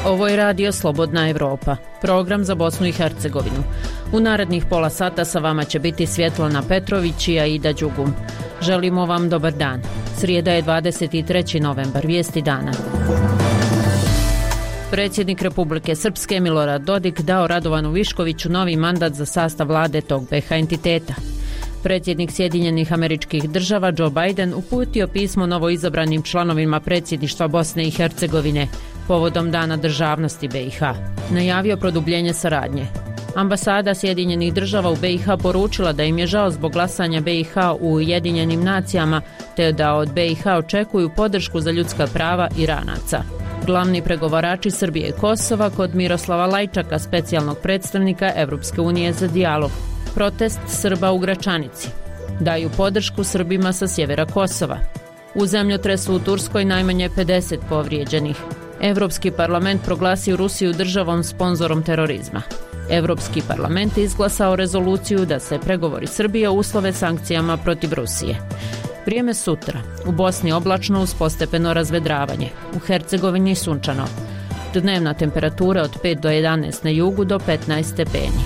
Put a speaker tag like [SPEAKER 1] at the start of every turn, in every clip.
[SPEAKER 1] Ovo je radio Slobodna Evropa, program za Bosnu i Hercegovinu. U narednih pola sata sa vama će biti Svjetlana Petrović i Aida Đugum. Želimo vam dobar dan. Srijeda je 23. novembar, vijesti dana. Predsjednik Republike Srpske Milorad Dodik dao Radovanu Viškoviću novi mandat za sastav vlade tog BiH entiteta. Predsjednik Sjedinjenih Američkih Država Joe Biden uputio pismo novoizabranim članovima predsjedništva Bosne i Hercegovine povodom Dana državnosti BiH. Najavio produbljenje saradnje. Ambasada Sjedinjenih Država u BiH poručila da im je žao zbog glasanja BiH u Ujedinjenim nacijama te da od BiH očekuju podršku za ljudska prava Iranaca. Glavni pregovarači Srbije i Kosova kod Miroslava Lajčaka, specijalnog predstavnika Evropske unije za dijalog. Protest Srba u Gračanici. Daju podršku Srbima sa sjevera Kosova. U zemljotresu u Turskoj najmanje 50 povrijeđenih. Evropski parlament proglasio Rusiju državom sponzorom terorizma. Evropski parlament izglasao rezoluciju da se pregovori Srbije uslove sankcijama protiv Rusije. Vrijeme sutra. U Bosni oblačno uz postepeno razvedravanje. U Hercegovini sunčano. Dnevna temperatura od 5 do 11 na jugu do 15 stepeni.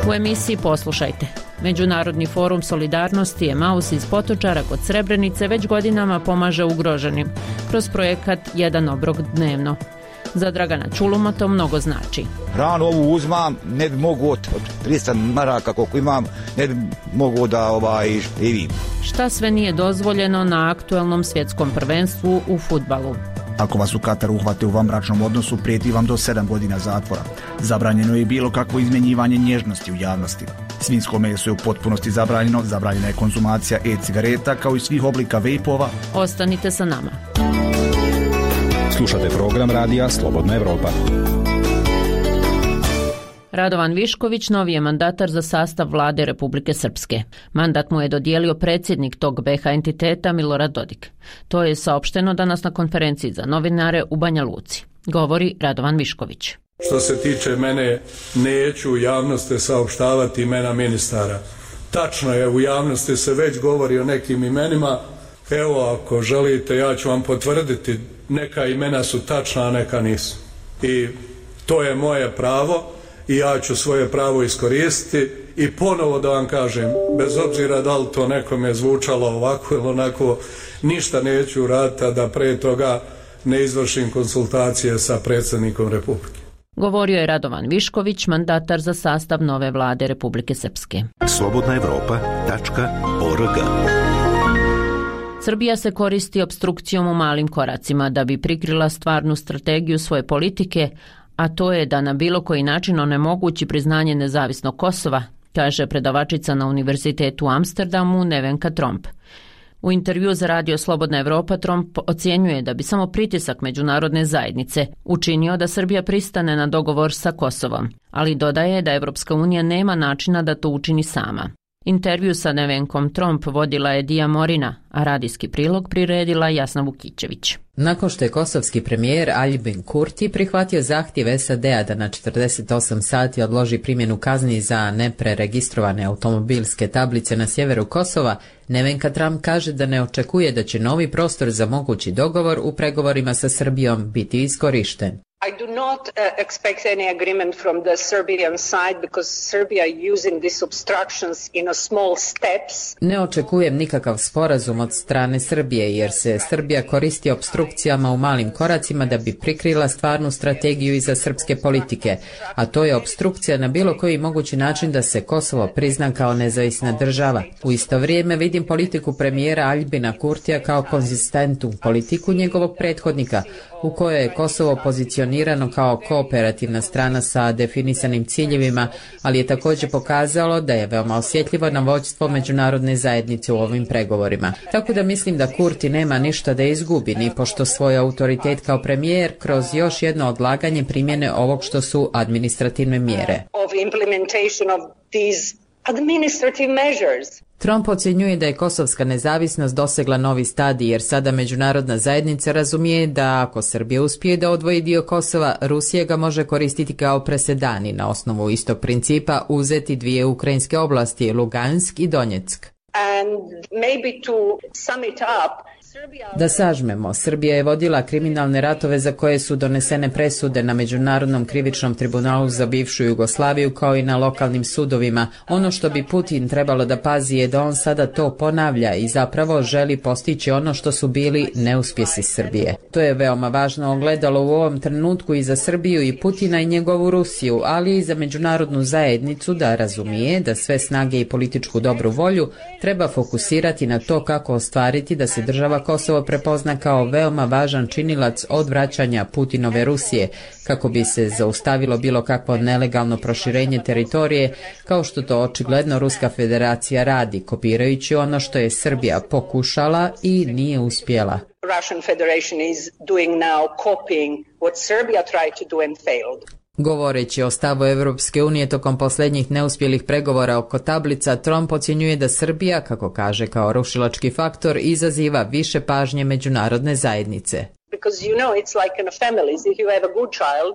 [SPEAKER 1] U emisiji poslušajte. Međunarodni forum solidarnosti Emaus iz Potočara kod Srebrenice već godinama pomaže ugroženim kroz projekat Jedan obrok dnevno. Za Dragana Čuluma to mnogo znači.
[SPEAKER 2] Hranu ovu uzmam, ne bi mogu od 300 maraka koliko imam, ne bi mogu da živim.
[SPEAKER 1] Šta sve nije dozvoljeno na aktuelnom svjetskom prvenstvu u fudbalu?
[SPEAKER 3] Ako vas u Kataru uhvate u vanbračnom odnosu, prijeti vam do 7 godina zatvora. Zabranjeno je bilo kakvo izmjenjivanje nježnosti u javnosti. Svinjsko meso je u potpunosti zabranjeno, zabranjena je konzumacija e-cigareta kao i svih oblika vejpova.
[SPEAKER 1] Ostanite sa nama.
[SPEAKER 4] Slušate program radija Slobodna Evropa.
[SPEAKER 1] Radovan Višković novi je mandatar za sastav vlade Republike Srpske. Mandat mu je dodijelio predsjednik tog BiH entiteta Milorad Dodik. To je saopšteno danas na konferenciji za novinare u Banja Luci. Govori Radovan Višković.
[SPEAKER 5] Što se tiče mene, neću u javnosti saopštavati imena ministara. Tačno je, u javnosti se već govori o nekim imenima. Evo, ako želite, ja ću vam potvrditi, neka imena su tačna, a neka nisu. I to je moje pravo i ja ću svoje pravo iskoristiti i ponovo da vam kažem, bez obzira da li to nekome zvučalo ovako ili onako, ništa neću uraditi, a da pre toga ne izvršim konsultacije sa predsjednikom Republike.
[SPEAKER 1] Govorio je Radovan Višković, mandatar za sastav nove vlade Republike Srpske.
[SPEAKER 4] slobodnaevropa.org.
[SPEAKER 1] Srbija se koristi opstrukcijom u malim koracima da bi prikrila stvarnu strategiju svoje politike, a to je da na bilo koji način onemogući priznanje nezavisnog Kosova, kaže predavačica na Univerzitetu u Amsterdamu Nevenka Tromp. U intervju za radio Slobodna Evropa Tromp ocjenjuje da bi samo pritisak međunarodne zajednice učinio da Srbija pristane na dogovor sa Kosovom, ali dodaje da Evropska unija nema načina da to učini sama. Intervju sa Nevenkom Tromp vodila je Dija Morina, a radijski prilog priredila Jasna Vukićević.
[SPEAKER 6] Nakon što je kosovski premijer Aljbin Kurti prihvatio zahtjev SAD-a da na 48 sati odloži primjenu kazni za nepreregistrovane automobilske tablice na sjeveru Kosova, Nevenka Trump kaže da ne očekuje da će novi prostor za mogući dogovor u pregovorima sa Srbijom biti iskorišten.
[SPEAKER 7] I do not expect any agreement from the Serbian side because Serbia using these obstructions in a small steps.
[SPEAKER 6] Ne očekujem nikakav sporazum od strane Srbije jer se Srbija koristi opstrukcijama u malim koracima da bi prikrila stvarnu strategiju iza srpske politike, a to je opstrukcija na bilo koji mogući način da se Kosovo prizna kao nezavisna država. U isto vrijeme vidim politiku premijera Aljbina Kurtija kao konzistentnu politiku njegovog prethodnika, u kojoj je Kosovo pozicionirano kao kooperativna strana sa definisanim ciljevima, ali je također pokazalo da je veoma osjetljivo na vođstvo međunarodne zajednice u ovim pregovorima. Tako da mislim da Kurti nema ništa da izgubi, ni pošto svoj autoritet kao premijer kroz još jedno odlaganje primjene ovog što su administrativne mjere. Trump ocjenjuje da je kosovska nezavisnost dosegla novi stadij jer sada međunarodna zajednica razumije da ako Srbija uspije da odvoji dio Kosova, Rusija ga može koristiti kao presedan i na osnovu istog principa uzeti dvije ukrajinske oblasti, Lugansk i Donjeck. Da sažmemo, Srbija je vodila kriminalne ratove za koje su donesene presude na Međunarodnom krivičnom tribunalu za bivšu Jugoslaviju kao i na lokalnim sudovima. Ono što bi Putin trebalo da pazi je da on sada to ponavlja i zapravo želi postići ono što su bili neuspjesi Srbije. To je veoma važno ogledalo u ovom trenutku i za Srbiju i Putina i njegovu Rusiju, ali i za međunarodnu zajednicu da razumije da sve snage i političku dobru volju treba fokusirati na to kako ostvariti da se država Kosovo prepozna kao veoma važan činilac odvraćanja Putinove Rusije, kako bi se zaustavilo bilo kakvo nelegalno proširenje teritorije, kao što to očigledno Ruska federacija radi, kopirajući ono što je Srbija pokušala i nije uspjela.
[SPEAKER 7] Russian Federation is doing now copying what Serbia tried to do and failed.
[SPEAKER 6] Govoreći o stavu Europske unije tokom posljednjih neuspjelih pregovora oko tablica, Trump ocjenjuje da Srbija, kako kaže, kao rušilački faktor izaziva više pažnje međunarodne zajednice.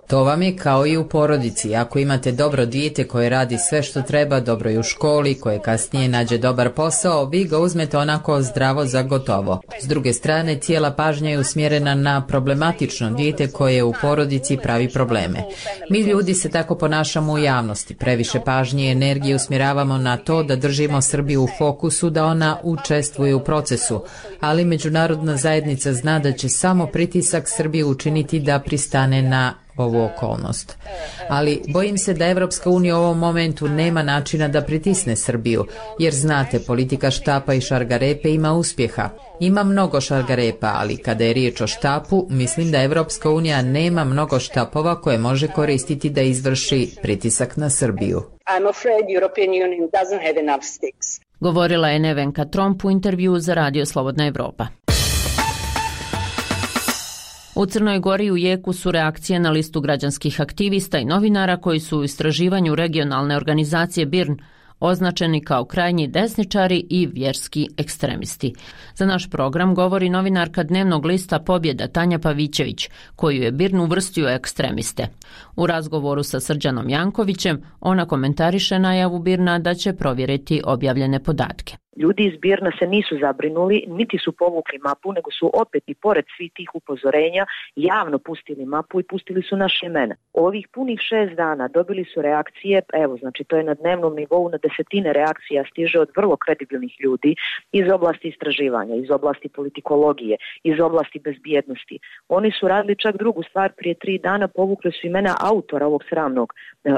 [SPEAKER 6] To vam je kao i u porodici. Ako imate dobro dijete koje radi sve što treba, dobro i u školi, koje kasnije nađe dobar posao, vi ga uzmete onako zdravo za gotovo. S druge strane, cijela pažnja je usmjerena na problematično dijete koje u porodici pravi probleme. Mi ljudi se tako ponašamo u javnosti. Previše pažnje i energije usmjeravamo na to da držimo Srbiju u fokusu, da ona učestvuje u procesu, ali međunarodna zajednica zna da će samo pritisak Srbije učiniti da pristane na ovu okolnost. Ali bojim se da Evropska unija u ovom momentu nema načina da pritisne Srbiju, jer znate, politika štapa i šargarepe ima uspjeha. Ima mnogo šargarepa, ali kada je riječ o štapu, mislim da Evropska unija nema mnogo štapova koje može koristiti da izvrši pritisak na Srbiju.
[SPEAKER 1] Govorila je Nevenka Tromp u intervjuu za Radio Slobodna Evropa. U Crnoj Gori u jeku su reakcije na listu građanskih aktivista i novinara koji su u istraživanju regionalne organizacije BIRN označeni kao krajnji desničari i vjerski ekstremisti. Za naš program govori novinarka dnevnog lista Pobjeda Tanja Pavićević, koju je BIRN uvrstio ekstremiste. U razgovoru sa Srđanom Jankovićem ona komentariše najavu BIRN-a da će provjeriti objavljene podatke.
[SPEAKER 8] Ljudi iz BIRN-a se nisu zabrinuli, niti su povukli mapu, nego su opet i pored svih tih upozorenja javno pustili mapu i pustili su naše imena. Ovih punih 6 dana dobili su reakcije, evo, znači to je na dnevnom nivou, na desetine reakcija stiže od vrlo kredibilnih ljudi iz oblasti istraživanja, iz oblasti politikologije, iz oblasti bezbjednosti. Oni su radili čak drugu stvar, prije 3 dana povukli su imena autora ovog sramnog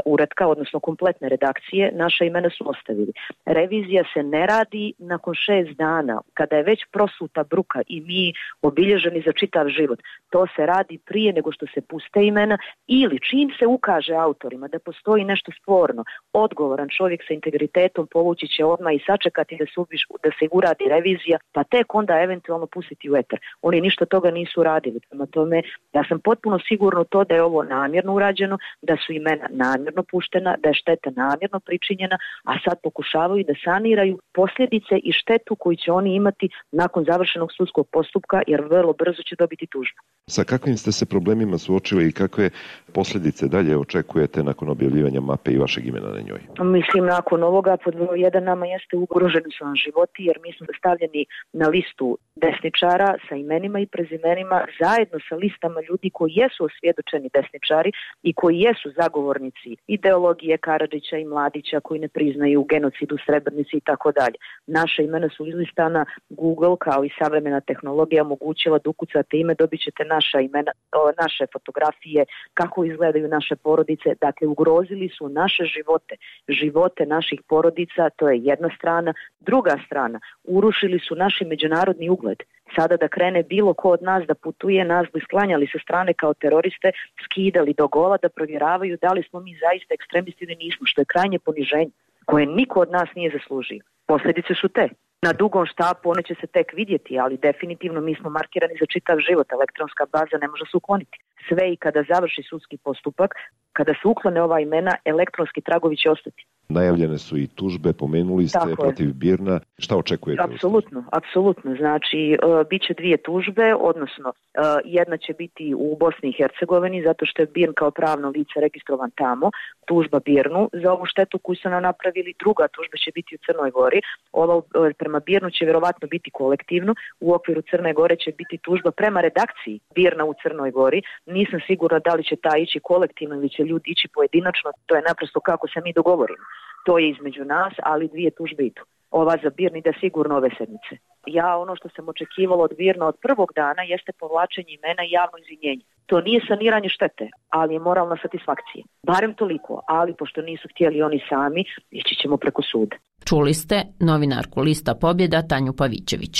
[SPEAKER 8] uratka, odnosno kompletne redakcije, naša imena su ostavili. Revizija se ne radi nakon 6 dana, kada je već prosuta bruka i mi obilježeni za čitav život. To se radi prije nego što se puste imena ili čim se ukaže autorima da postoji nešto sporno, odgovoran čovjek sa integritetom povući će odmah i sačekati da se uradi revizija, pa tek onda eventualno pustiti u etar. Oni ništa toga nisu radili. Prema tome, ja sam potpuno sigurno to da je ovo namjerno urađeno, da su imena namjerno puštena, da je šteta namjerno pričinjena, a sad pokušavaju da saniraju posljedice i štetu koju će oni imati nakon završenog sudskog postupka, jer vrlo brzo će dobiti tužbu.
[SPEAKER 9] Sa kakvim ste se problemima suočili i kakve posljedice dalje očekujete nakon objavljivanja mape i vašeg imena na njoj?
[SPEAKER 8] Mislim, nakon ovoga pod broj 1 nama jeste ugroženi su nam životi, jer mi smo stavljeni na listu desničara sa imenima i prezimenima zajedno sa listama ljudi koji jesu osvjedočeni desničari i koji jesu zagovornici ideologije Karadžića i Mladića, koji ne priznaju genocid u Srebrenici i tako dalje. Naša imena su izlistana, Google kao i savremena tehnologija omogućila da ukucate ime, dobit ćete naša imena, naše fotografije, kako izgledaju naše porodice. Dakle, ugrozili su naše živote, živote naših porodica, to je jedna strana. Druga strana, urušili su naš međunarodni ugled. Sada da krene bilo ko od nas da putuje, nas bi sklanjali sa strane kao teroriste, skidali do gola da provjeravaju da li smo mi zaista ekstremisti ili nismo, što je krajnje poniženje koje niko od nas nije zaslužio. Posljedice su te. Na dugom štapu one će se tek vidjeti, ali definitivno mi smo markirani za čitav život. Elektronska baza ne može se ukloniti. Sve i kada završi sudski postupak, kada se uklone ova imena, elektronski tragovi će ostati.
[SPEAKER 9] Najavljene su i tužbe, pomenuli ste protiv Birna. Šta očekujete?
[SPEAKER 8] Apsolutno. Znači, bit će 2 tužbe, odnosno jedna će biti u Bosni i Hercegovini, zato što je Birn kao pravno lice registrovan tamo, tužba Birnu za ovu štetu koju su nam napravili. Druga tužba će biti u Crnoj Gori. Ova prema Birnu će vjerovatno biti kolektivno. U okviru Crne Gore će biti tužba prema redakciji Birna u Crnoj Gori. Nisam sigurna da li će ta ići kolektivno ili će ljudi ići pojedinačno. To je naprosto kako se mi dogovorimo. To je između nas, ali 2 tužbe idu. Ova za Birn ide sigurno ove sedmice. Ja ono što sam očekivala od Birna od prvog dana jeste povlačenje imena i javno izvinjenje. To nije saniranje štete, ali je moralna satisfakcija. Barem toliko, ali pošto nisu htjeli oni sami, ići ćemo preko suda.
[SPEAKER 1] Čuli ste novinarku Lista Pobjeda Tanju Pavićević.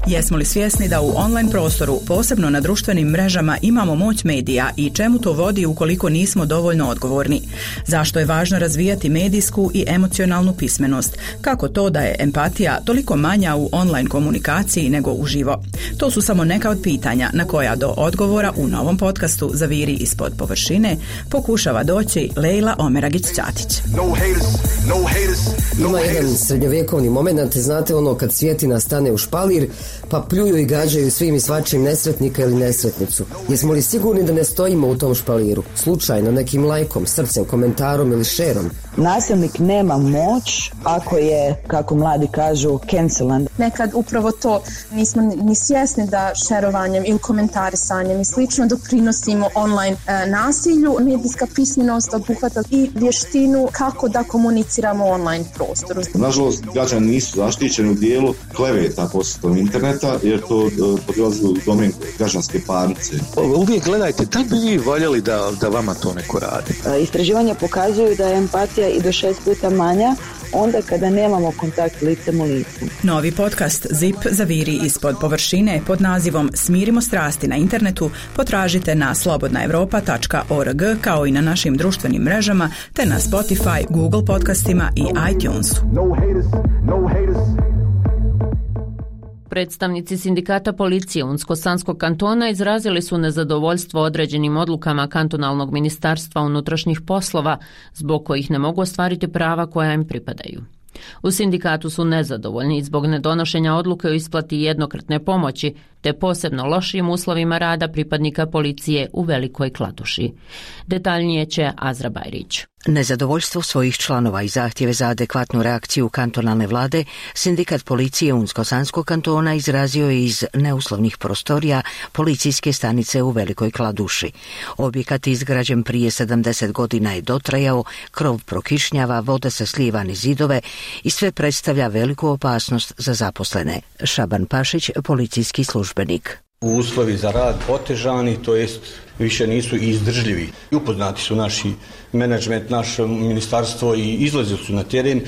[SPEAKER 10] Jesmo li svjesni da u online prostoru, posebno na društvenim mrežama, imamo moć medija i čemu to vodi ukoliko nismo dovoljno odgovorni? Zašto je važno razvijati medijsku i emocionalnu pismenost? Kako to da je empatija toliko manja u online komunikaciji nego uživo? To su samo neka od pitanja na koja do odgovora u novom podcastu Zaviri ispod površine pokušava doći Lejla Omeragić-Ćatić.
[SPEAKER 11] Ima jedan srednjovjekovni moment, znate ono kad svjetina stane u špalir, pa pljuju i gađaju svim i svačim nesretnika ili nesretnicu. Jesmo li sigurni da ne stojimo u tom špaliru? Slučajno, nekim lajkom, srcem, komentarom ili šerom?
[SPEAKER 12] Nasilnik nema moć ako je, kako mladi kažu, cancelan.
[SPEAKER 13] Nekad upravo to nismo ni svjesni da šerovanjem ili komentarisanjem i slično doprinosimo online nasilju. Medijska pismenost obuhvata i vještinu kako da komuniciramo u online prostoru.
[SPEAKER 14] Nažalost, građani nisu zaštićeni u dijelu kleveta posredstvom interneta, jer to podlazi u domen građanske parnice.
[SPEAKER 15] Uvijek gledajte, da bi vi voljeli da vama to neko radi?
[SPEAKER 12] Istraživanja pokazuju da je empatija i do 6 puta manja onda kada nemamo kontakt licem u licu.
[SPEAKER 10] Novi podcast ZIP Zaviri ispod površine pod nazivom Smirimo strasti na internetu potražite na slobodnaevropa.org kao i na našim društvenim mrežama te na Spotify, Google podcastima i iTunesu.
[SPEAKER 1] Predstavnici sindikata policije Unsko-Sanskog kantona izrazili su nezadovoljstvo određenim odlukama kantonalnog ministarstva unutrašnjih poslova, zbog kojih ne mogu ostvariti prava koja im pripadaju. U sindikatu su nezadovoljni zbog nedonošenja odluke o isplati jednokratne pomoći, te posebno lošim uslovima rada pripadnika policije u Velikoj Kladuši. Detaljnije će Azra Bajrić.
[SPEAKER 16] Nezadovoljstvo svojih članova i zahtjeve za adekvatnu reakciju kantonalne vlade, sindikat policije Unsko-Sanskog kantona izrazio je iz neuslovnih prostorija policijske stanice u Velikoj Kladuši. Objekat izgrađen prije 70 godina je dotrajao, krov prokišnjava, voda se slijeva niz zidove i sve predstavlja veliku opasnost za zaposlene. Šaban Pašić, policijski službenik.
[SPEAKER 17] Uslovi za rad otežani, to jest više nisu izdržljivi. Upoznati su naši menadžment, naše ministarstvo i izlazili su na teren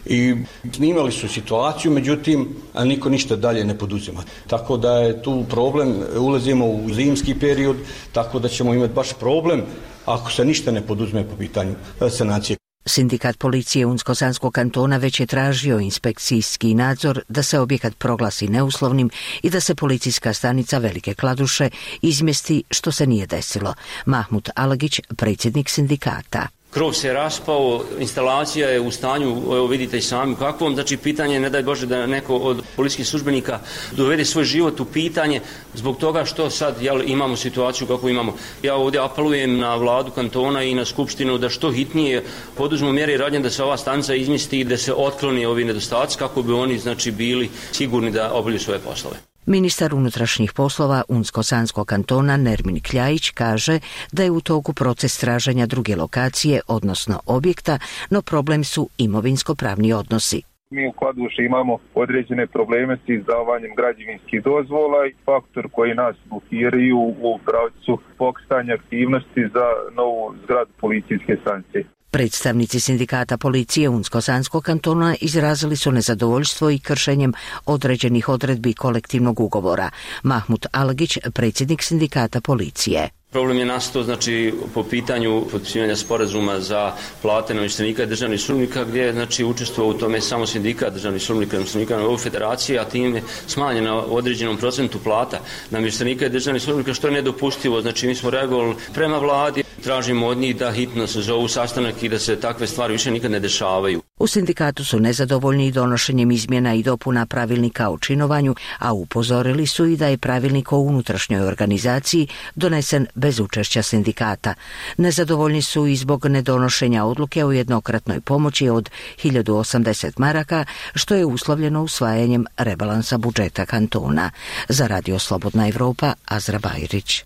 [SPEAKER 17] i snimali su situaciju, međutim, niko ništa dalje ne poduzima. Tako da je tu problem, ulazimo u zimski period, tako da ćemo imati baš problem ako se ništa ne poduzme po pitanju sanacije.
[SPEAKER 16] Sindikat policije Unsko-Sanskog kantona već je tražio inspekcijski nadzor da se objekat proglasi neuslovnim i da se policijska stanica Velike Kladuše izmjesti, što se nije desilo. Mahmud Alagić, predsjednik sindikata.
[SPEAKER 18] Krov se raspao, instalacija je u stanju, evo vidite i sami kakvom, znači pitanje je, ne daj Bože, da neko od policijskih službenika dovede svoj život u pitanje zbog toga što sad imamo situaciju kako imamo. Ja ovdje apelujem na vladu kantona i na skupštinu da što hitnije poduzmu mjere i radnje da se ova stanica izmjesti i da se otkloni ovi nedostaci kako bi oni bili sigurni da obavljaju svoje poslove.
[SPEAKER 16] Ministar unutrašnjih poslova Unsko-Sanskog kantona Nermin Kljajić kaže da je u toku proces traženja druge lokacije, odnosno objekta, no problem su imovinsko-pravni odnosi.
[SPEAKER 19] Mi u Kladuši imamo određene probleme s izdavanjem građevinskih dozvola i faktor koji nas blokiraju u pravcu pokretanja aktivnosti za novu zgradu policijske stanice.
[SPEAKER 16] Predstavnici sindikata policije Unsko-Sanskog kantona izrazili su nezadovoljstvo i kršenjem određenih odredbi kolektivnog ugovora. Mahmud Alagić, predsjednik sindikata policije.
[SPEAKER 18] Problem je nastao znači po pitanju potpisivanja sporazuma za plate namještenika i državnih službenika gdje je znači učestvovao u tome samo sindikat državnih službenika i namještenika na ovoj federaciji, a tim je smanjena određenom procentu plata namještenika i državnih službenika, što je nedopustivo. Znači mi smo reagovali prema vladi, tražimo od njih da hitno se zovu sastanak i da se takve stvari više nikad ne dešavaju.
[SPEAKER 16] U sindikatu su nezadovoljni donošenjem izmjena i dopuna pravilnika o činovanju, a upozorili su i da je pravilnik o unutrašnjoj organizaciji donesen bez učešća sindikata. Nezadovoljni su i zbog nedonošenja odluke o jednokratnoj pomoći od 1080 maraka, što je uslovljeno usvajanjem rebalansa budžeta kantona. Za Radio Slobodna Evropa, Azra Bajrić.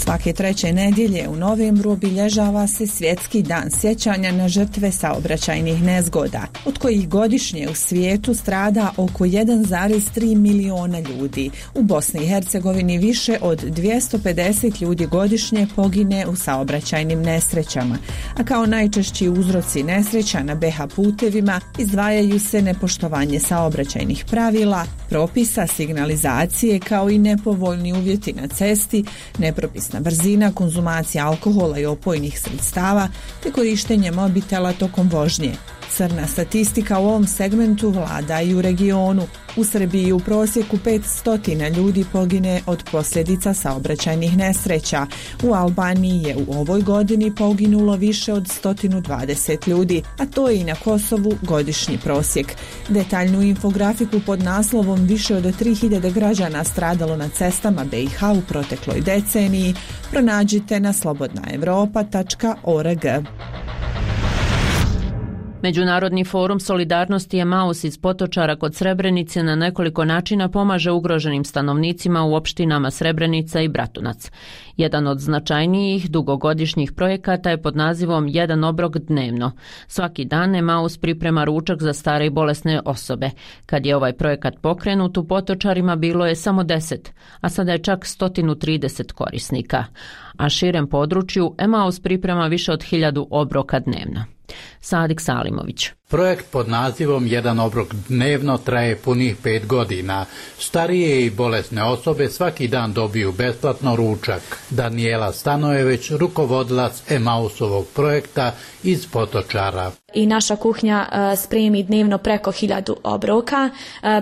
[SPEAKER 20] Svake treće nedjelje u novembru obilježava se Svjetski dan sjećanja na žrtve saobraćajnih nezgoda, od kojih godišnje u svijetu strada oko 1,3 miliona ljudi. U Bosni i Hercegovini više od 250 ljudi godišnje pogine u saobraćajnim nesrećama, a kao najčešći uzroci nesreća na BH putevima izdvajaju se nepoštovanje saobraćajnih pravila, propisa, signalizacije kao i nepovoljni uvjeti na cesti, nepropisna brzina, konzumacija alkohola i opojnih sredstava te korištenje mobitela tokom vožnje. Crna statistika u ovom segmentu vlada i u regionu. U Srbiji u prosjeku 500 ljudi pogine od posljedica saobraćajnih nesreća. U Albaniji je u ovoj godini poginulo više od 120 ljudi, a to je i na Kosovu godišnji prosjek. Detaljnu infografiku pod naslovom više od 3000 građana stradalo na cestama BiH u protekloj deceniji pronađite na slobodnaevropa.org.
[SPEAKER 1] Međunarodni forum solidarnosti Emaus iz Potočara kod Srebrenice na nekoliko načina pomaže ugroženim stanovnicima u opštinama Srebrenica i Bratunac. Jedan od značajnijih dugogodišnjih projekata je pod nazivom Jedan obrok dnevno. Svaki dan Emaus priprema ručak za stare i bolesne osobe. Kad je ovaj projekat pokrenut, u Potočarima bilo je samo 10, a sada je čak 130 korisnika. A širem području Emaus priprema više od 1000 obroka dnevno. Sadik Salimović.
[SPEAKER 21] Projekt pod nazivom Jedan obrok dnevno traje punih 5 godina. Starije i bolesne osobe svaki dan dobiju besplatno ručak. Daniela Stanojević, rukovodilac Emausovog projekta iz Potočara.
[SPEAKER 22] I naša kuhinja spremi dnevno preko 1000 obroka.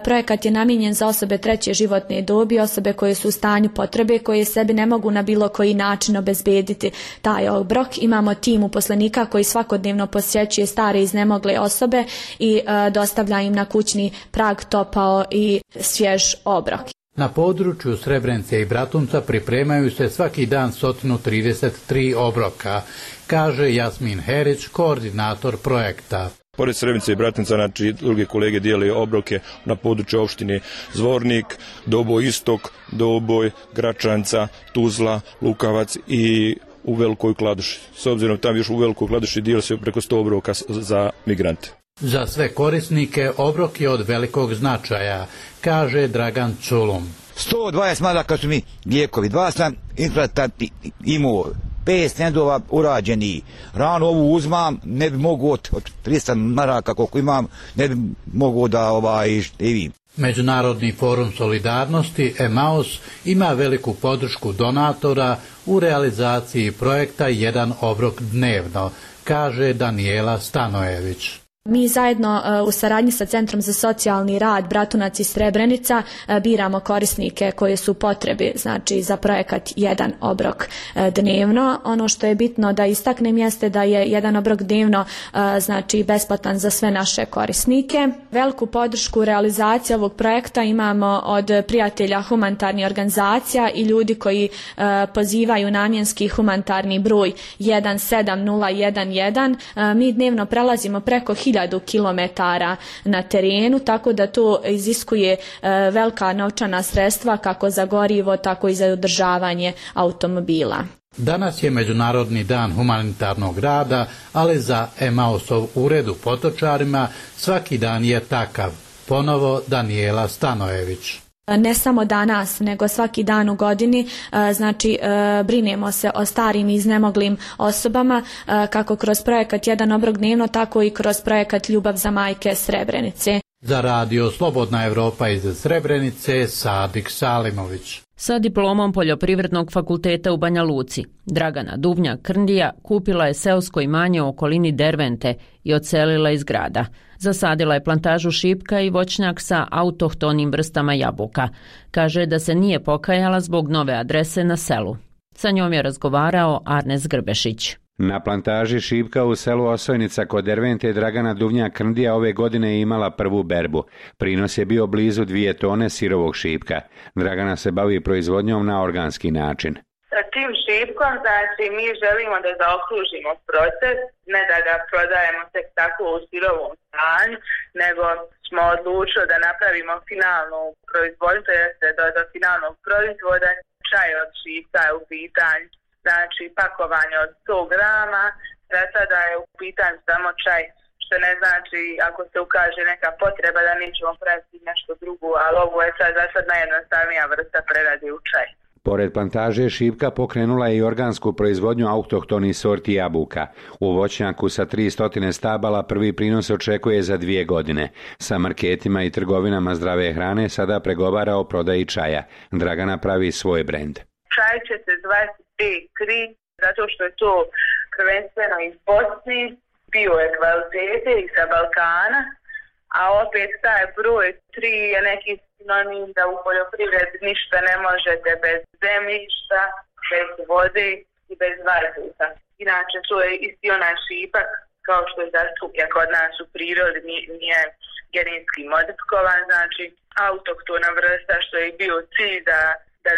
[SPEAKER 22] Projekat je namijenjen za osobe treće životne dobi, osobe koje su u stanju potrebe, koje sebi ne mogu na bilo koji način obezbediti taj obrok. Imamo tim uposlenika koji svakodnevno posjećuje stare iznemogle osobe i dostavlja im na kućni prag topao i svjež obrok.
[SPEAKER 21] Na području Srebrenice i Bratunca pripremaju se svaki dan 133 obroka, kaže Jasmin Herić, koordinator projekta.
[SPEAKER 23] Pored Srebrenice i Bratunca, znači druge kolege dijele obroke na području opštine Zvornik, Doboj Istok, Doboj, Gračanca, Tuzla, Lukavac i u Velikoj Kladuši. S obzirom tam još u Velikoj Kladuši dijeli se preko 100 obroka za migrante.
[SPEAKER 21] Za sve korisnike obrok je od velikog značaja, kaže Dragan Culum.
[SPEAKER 2] 120 maraka su mi lijekovi, 2 sam implantanti imao, 5 stendova urađeni. Rano ovu uzmam, ne bi mogu od 300 maraka koliko imam, ne bi mogu da števim.
[SPEAKER 21] Međunarodni forum solidarnosti Emaus ima veliku podršku donatora u realizaciji projekta Jedan obrok dnevno, kaže Daniela Stanojević.
[SPEAKER 22] Mi zajedno u saradnji sa Centrom za socijalni rad Bratunac i Srebrenica biramo korisnike koje su potrebe, znači za projekat Jedan obrok dnevno. Ono što je bitno da istaknem jeste da je Jedan obrok dnevno znači besplatan za sve naše korisnike. Veliku podršku u realizaciji ovog projekta imamo od prijatelja humanitarnih organizacija i ljudi koji pozivaju namjenski humanitarni broj 17011. Mi dnevno prelazimo preko 1000 kilometara na terenu, tako da to iziskuje velika novčana sredstva kako za gorivo, tako i za održavanje automobila.
[SPEAKER 21] Danas je Međunarodni dan humanitarnog rada, ali za Emausov ured u Potočarima svaki dan je takav. Ponovo Daniela Stanojević.
[SPEAKER 22] Ne samo danas, nego svaki dan u godini, znači brinemo se o starim i iznemoglim osobama, kako kroz projekat Jedan obrok dnevno, tako i kroz projekat Ljubav za majke Srebrenice.
[SPEAKER 21] Za Radio Slobodna Evropa iz Srebrenice, Sadik Salimović.
[SPEAKER 1] Sa diplomom Poljoprivrednog fakulteta u Banja Luci, Dragana Duvnjak-Krndija kupila je seosko imanje u okolini Dervente i odselila iz grada. Zasadila je plantažu šipka i voćnjak sa autohtonim vrstama jabuka. Kaže da se nije pokajala zbog nove adrese na selu. Sa njom je razgovarao Arnes Grbešić.
[SPEAKER 3] Na plantaži šipka u selu Osojnica kod Dervente Dragana Duvnjak-Krndija ove godine je imala prvu berbu. Prinos je bio blizu 2 tone sirovog šipka. Dragana se bavi proizvodnjom na organski način.
[SPEAKER 4] Tim šipkom, znači, mi želimo da zaokružimo proces, ne da ga prodajemo tek tako u sirovom stanju, nego smo odlučili da napravimo finalnu proizvodnju, to jeste do finalnog proizvoda. Čaj od šipka je u pitanju, znači pakovanje od 100 grama, da sada je u pitanju samo čaj, što ne znači ako se ukaže neka potreba da mi ćemo praviti nešto drugo, ali ovo je sad najjednostavnija vrsta prerade u čaj.
[SPEAKER 3] Pored plantaže šipka pokrenula je i organsku proizvodnju autohtonih sorti jabuka. U voćnjaku sa 300 stabala prvi prinos očekuje za 2 godine. Sa marketima i trgovinama zdrave hrane sada pregovara o prodaji čaja. Dragana pravi svoj brend.
[SPEAKER 4] Čaj će se zvati B3, zato što je to prvenstveno iz Bosni, bio je kvalitete i sa Balkana, a opet taj broj 3 je neki sinonim da u poljoprivredi ništa ne možete bez zemljišta, bez vode i bez vazduha. Inače, to je isti onaj šipak, kao što je zastupljen kod nas u prirodi, nije genetski modifikovan, znači autohtona vrsta, što je bio cilj da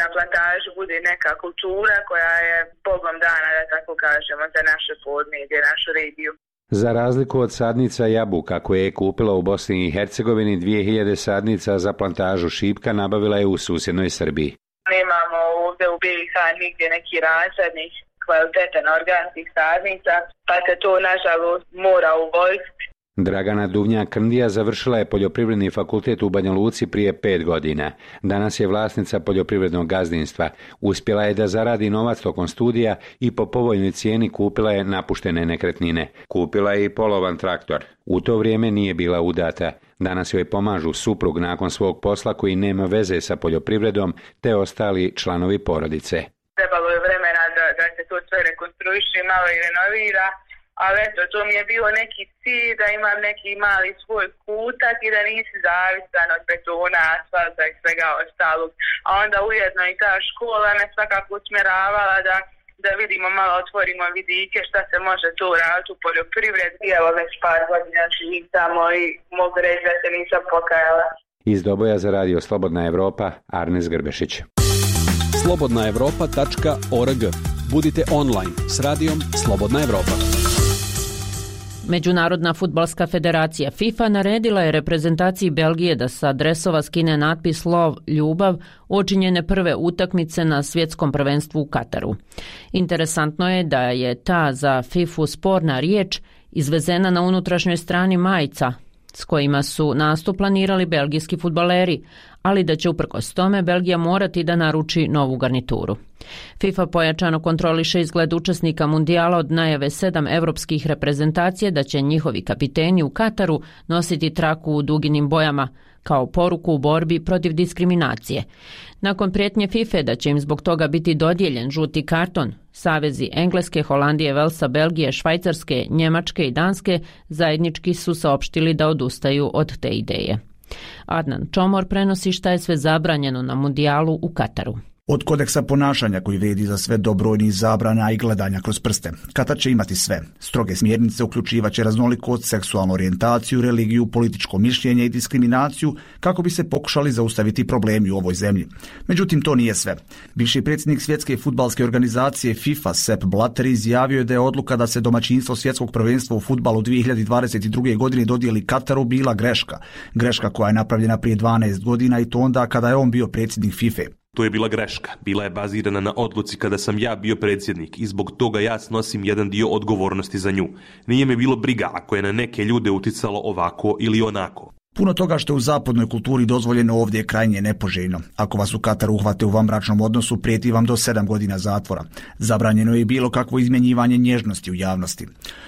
[SPEAKER 4] na plantaži bude neka kultura koja je bogom dana, da tako kažemo, za naše podneblje, našu regiju.
[SPEAKER 3] Za razliku od sadnica jabuka koje je kupila u Bosni i Hercegovini, 2000 sadnica za plantažu šipka nabavila je u susjednoj Srbiji.
[SPEAKER 4] Nemamo ovdje u BiH nigdje neki razrednih kvalitetan organskih sadnica, pa se to nažalost mora uvoziti.
[SPEAKER 3] Dragana Duvnjak-Krndija završila je Poljoprivredni fakultet u Banja Luci prije 5 godina. Danas je vlasnica poljoprivrednog gazdinstva. Uspjela je da zaradi novac tokom studija i po povoljnoj cijeni kupila je napuštene nekretnine. Kupila je i polovan traktor. U to vrijeme nije bila udata. Danas joj pomažu suprug nakon svog posla koji nema veze sa poljoprivredom, te ostali članovi porodice.
[SPEAKER 4] Trebalo je vremena da se to sve rekonstruiše, malo i renovira. Ali eto, to mi je bio neki cilj da imam neki mali svoj kutak i da nisi zavisan od betona, asfalta i svega ostalog. A onda ujedno i ta škola me svakako usmjeravala da vidimo, malo otvorimo vidike šta se može tu raditi u poljoprivredi. I evo već par godina živim tamo i mogu reći da se nisam pokajala.
[SPEAKER 3] Iz Doboja za radio Slobodna Evropa, Arnes Grbešić.
[SPEAKER 5] slobodnaevropa.org. Budite online s radijom Slobodna Evropa.
[SPEAKER 1] Međunarodna fudbalska federacija FIFA naredila je reprezentaciji Belgije da sa dresova skine natpis Love, ljubav, učinjene prve utakmice na svjetskom prvenstvu u Kataru. Interesantno je da je ta za FIFA sporna riječ izvezena na unutrašnjoj strani majica s kojima su nastup planirali belgijski fudbaleri, ali da će uprkos tome Belgija morati da naruči novu garnituru. FIFA pojačano kontroliše izgled učesnika mundijala od najave 7 evropskih reprezentacija da će njihovi kapiteni u Kataru nositi traku u duginim bojama, kao poruku u borbi protiv diskriminacije. Nakon prijetnje FIFA da će im zbog toga biti dodijeljen žuti karton, savezi Engleske, Holandije, Velsa, Belgije, Švajcarske, Njemačke i Danske zajednički su saopštili da odustaju od te ideje. Adnan Čomor prenosi šta je sve zabranjeno na mundijalu u Kataru.
[SPEAKER 24] Od kodeksa ponašanja koji vrijedi za sve do brojnih zabrana i gledanja kroz prste. Katar će imati sve. Stroge smjernice uključivaće raznolikost, seksualnu orijentaciju, religiju, političko mišljenje i diskriminaciju kako bi se pokušali zaustaviti problemi u ovoj zemlji. Međutim, to nije sve. Bivši predsjednik svjetske fudbalske organizacije FIFA Sepp Blatter izjavio je da je odluka da se domaćinstvo svjetskog prvenstva u fudbalu 2022. godine dodijeli Kataru bila greška. Greška koja je napravljena prije 12 godina i to onda kada je on bio predsjednik FIFA.
[SPEAKER 25] To je bila greška. Bila je bazirana na odluci kada sam ja bio predsjednik i zbog toga ja snosim jedan dio odgovornosti za nju. Nije me bilo briga ako je na neke ljude uticalo ovako ili onako.
[SPEAKER 24] Puno toga što je u zapadnoj kulturi dozvoljeno ovdje je krajnje nepoželjno. Ako vas u Kataru uhvate u vanbračnom odnosu, prijeti vam do 7 godina zatvora. Zabranjeno je bilo kakvo izmjenjivanje nježnosti u javnosti.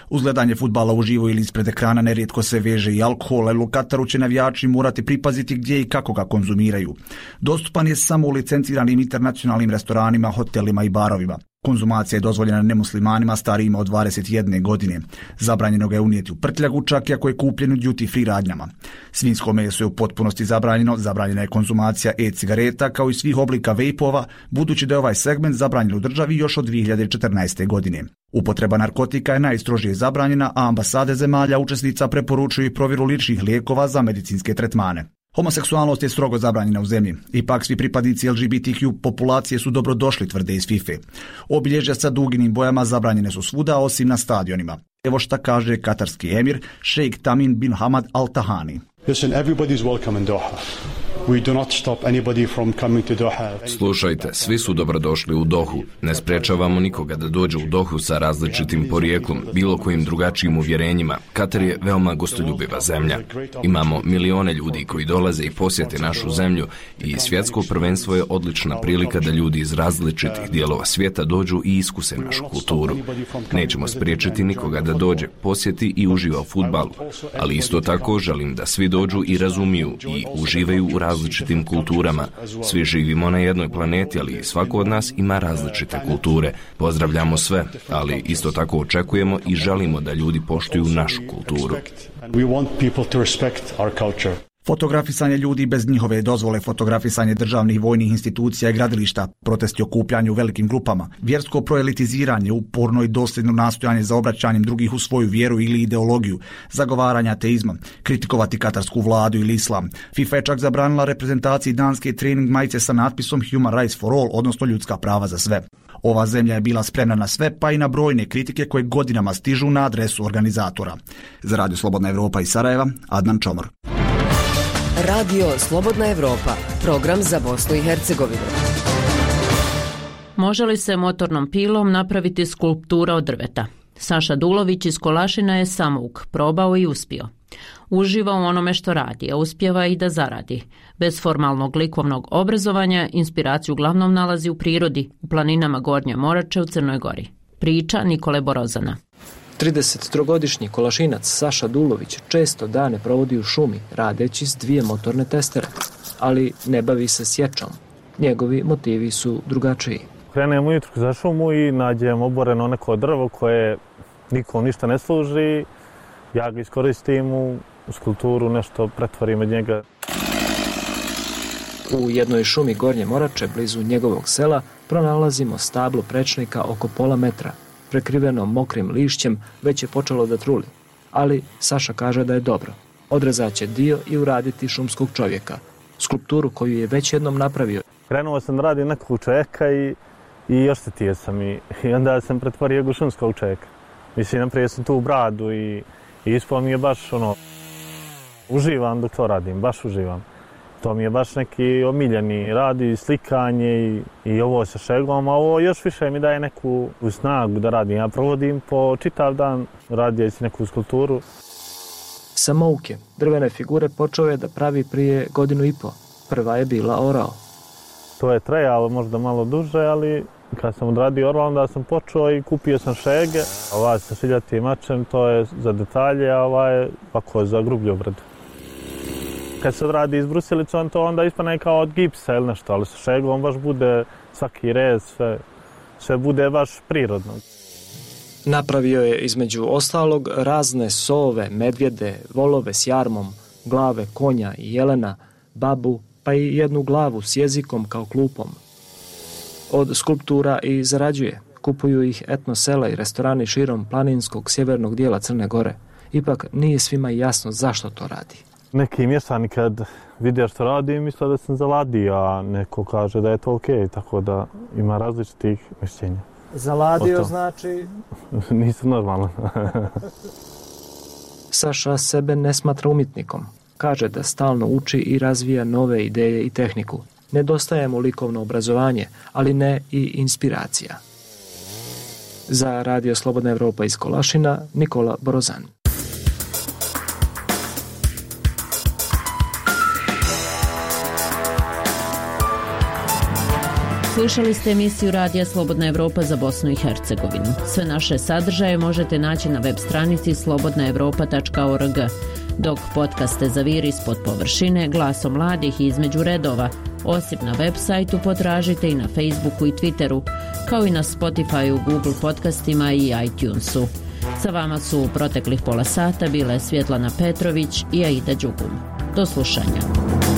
[SPEAKER 24] Uz gledanje fudbala uživo ili ispred ekrana nerijetko se veže i alkohol, ali u Kataru će navijači morati pripaziti gdje i kako ga konzumiraju. Dostupan je samo u licenciranim internacionalnim restoranima, hotelima i barovima. Konzumacija je dozvoljena nemuslimanima starijima od 21 godine. Zabranjeno ga je unijeti u prtljagu, čak i ako je kupljen u duty free radnjama. Svinjsko meso je u potpunosti zabranjeno, zabranjena je konzumacija e-cigareta kao i svih oblika vejpova, budući da je ovaj segment zabranjen u državi još od 2014. godine. Upotreba narkotika je najstrožije zabranjena, a ambasade zemalja učesnica preporučuju i provjeru ličnih lijekova za medicinske tretmane. Homoseksualnost je strogo zabranjena u zemlji. Ipak svi pripadnici LGBTQ populacije su dobrodošli, tvrde iz FIFA. Obilježja sa duginim bojama zabranjene su svuda osim na stadionima. Evo šta kaže katarski emir Sheikh Tamim bin Hamad Al Thani.
[SPEAKER 6] Listen, everybody is welcome in Doha. We do not stop anybody from coming to Doha.
[SPEAKER 7] Slušajte, svi su dobrodošli u Dohu. Ne sprečavamo nikoga da dođe u Dohu sa različitim porijeklom, bilo kojim drugačijim uvjerenjima. Katar je veoma gostoljubiva zemlja. Imamo milione ljudi koji dolaze i posjete našu zemlju i svjetsko prvenstvo je odlična prilika da ljudi iz različitih dijelova svijeta dođu i iskuse našu kulturu. Nećemo spriječiti nikoga da dođe, posjeti i uživa u fudbalu, ali isto tako želim da svi dođu i razumiju i uživaju u različitim kulturama. Svi živimo na jednoj planeti, ali svako od nas ima različite kulture. Pozdravljamo sve, ali isto tako očekujemo i želimo da ljudi poštuju našu kulturu.
[SPEAKER 24] Fotografisanje ljudi bez njihove dozvole, fotografisanje državnih vojnih institucija i gradilišta, protesti okupljanju u velikim grupama, vjersko proelitiziranje, uporno i dosljedno nastojanje za obraćanjem drugih u svoju vjeru ili ideologiju, zagovaranje ateizma, kritikovati katarsku vladu ili islam. FIFA je čak zabranila reprezentaciji danske trening majice sa natpisom Human Rights for All, odnosno ljudska prava za sve. Ova zemlja je bila spremna na sve, pa i na brojne kritike koje godinama stižu na adresu organizatora. Za Radio Slobodna Evropa iz Sarajeva, Adnan Čomor.
[SPEAKER 8] Radio Slobodna Evropa, program za Bosnu i Hercegovinu.
[SPEAKER 1] Može li se motornom pilom napraviti skulptura od drveta? Saša Dulović iz Kolašina je samouk, probao i uspio. Uživa u onome što radi, a uspjeva i da zaradi. Bez formalnog likovnog obrazovanja inspiraciju uglavnom nalazi u prirodi, u planinama Gornje Morače u Crnoj Gori. Priča Nikole Borozana.
[SPEAKER 9] 33-godišnji Kolašinac Saša Dulović često dane provodi u šumi radeći s 2 motorne testere, ali ne bavi se sječom. Njegovi motivi su drugačiji.
[SPEAKER 11] Krenem ujutro za šumu i nađem oboreno neko drvo koje nikom ništa ne služi. Ja ga iskoristim u skulpturu, nešto pretvorim od njega.
[SPEAKER 9] U jednoj šumi Gornje Morače, blizu njegovog sela, pronalazimo stablo prečnika oko pola metra. Prekriveno mokrim lišćem, već je počelo da truli. Ali Saša kaže da je dobro. Odrezat će dio i uraditi šumskog čovjeka. Skulpturu koju je već jednom napravio.
[SPEAKER 11] Krenuo sam da radim nekog čovjeka i oštetio sam i onda sam pretvorio ga šumskog čovjeka. Mislim, napravio sam tu bradu i ispao mi je baš uživam dok to radim, baš uživam. To mi je baš neki omiljeni rad i slikanje i ovo sa šegom, a ovo još više mi daje neku snagu da radim. Ja provodim po čitav dan radijeći neku skulpturu.
[SPEAKER 9] Samouke, drvene figure, počeo je da pravi prije 1.5 godina. Prva je bila orao.
[SPEAKER 11] To je trajalo možda malo duže, ali kad sam odradio orao, onda sam počeo i kupio sam šege. Ova sa šiljatim mačem, to je za detalje, a ova je ovako za grublju obradu. Kad se odradi izbrusilicom, to onda ispane kao od gipsa ili nešto, ali sa šegom baš bude svaki rez, sve bude baš prirodno.
[SPEAKER 9] Napravio je između ostalog razne sove, medvjede, volove s jarmom, glave konja i jelena, babu, pa i jednu glavu s jezikom kao klupom. Od skulptura i zarađuje. Kupuju ih etno sela i restorani širom planinskog sjevernog dijela Crne Gore. Ipak nije svima jasno zašto to radi.
[SPEAKER 11] Neki mještani kad vide što radim, misle da sam zaladio, a neko kaže da je to okej, tako da ima različitih mišljenja.
[SPEAKER 9] Zaladio znači?
[SPEAKER 11] Nisam normalan.
[SPEAKER 9] Saša sebe ne smatra umjetnikom. Kaže da stalno uči i razvija nove ideje i tehniku. Nedostaje mu likovno obrazovanje, ali ne i inspiracija. Za Radio Slobodna Evropa iz Kolašina, Nikola Borozan.
[SPEAKER 1] Slušali ste emisiju Radija Slobodna Evropa za Bosnu i Hercegovinu. Sve naše sadržaje možete naći na web stranici slobodnaevropa.org, dok podcaste Zaviri ispod površine, Glaso mladih i Između redova, osim na web sajtu, potražite i na Facebooku i Twitteru, kao i na Spotifyu, Google podcastima i iTunesu. Sa vama su u proteklih pola sata bile Svjetlana Petrović i Aida Đugum. Do slušanja.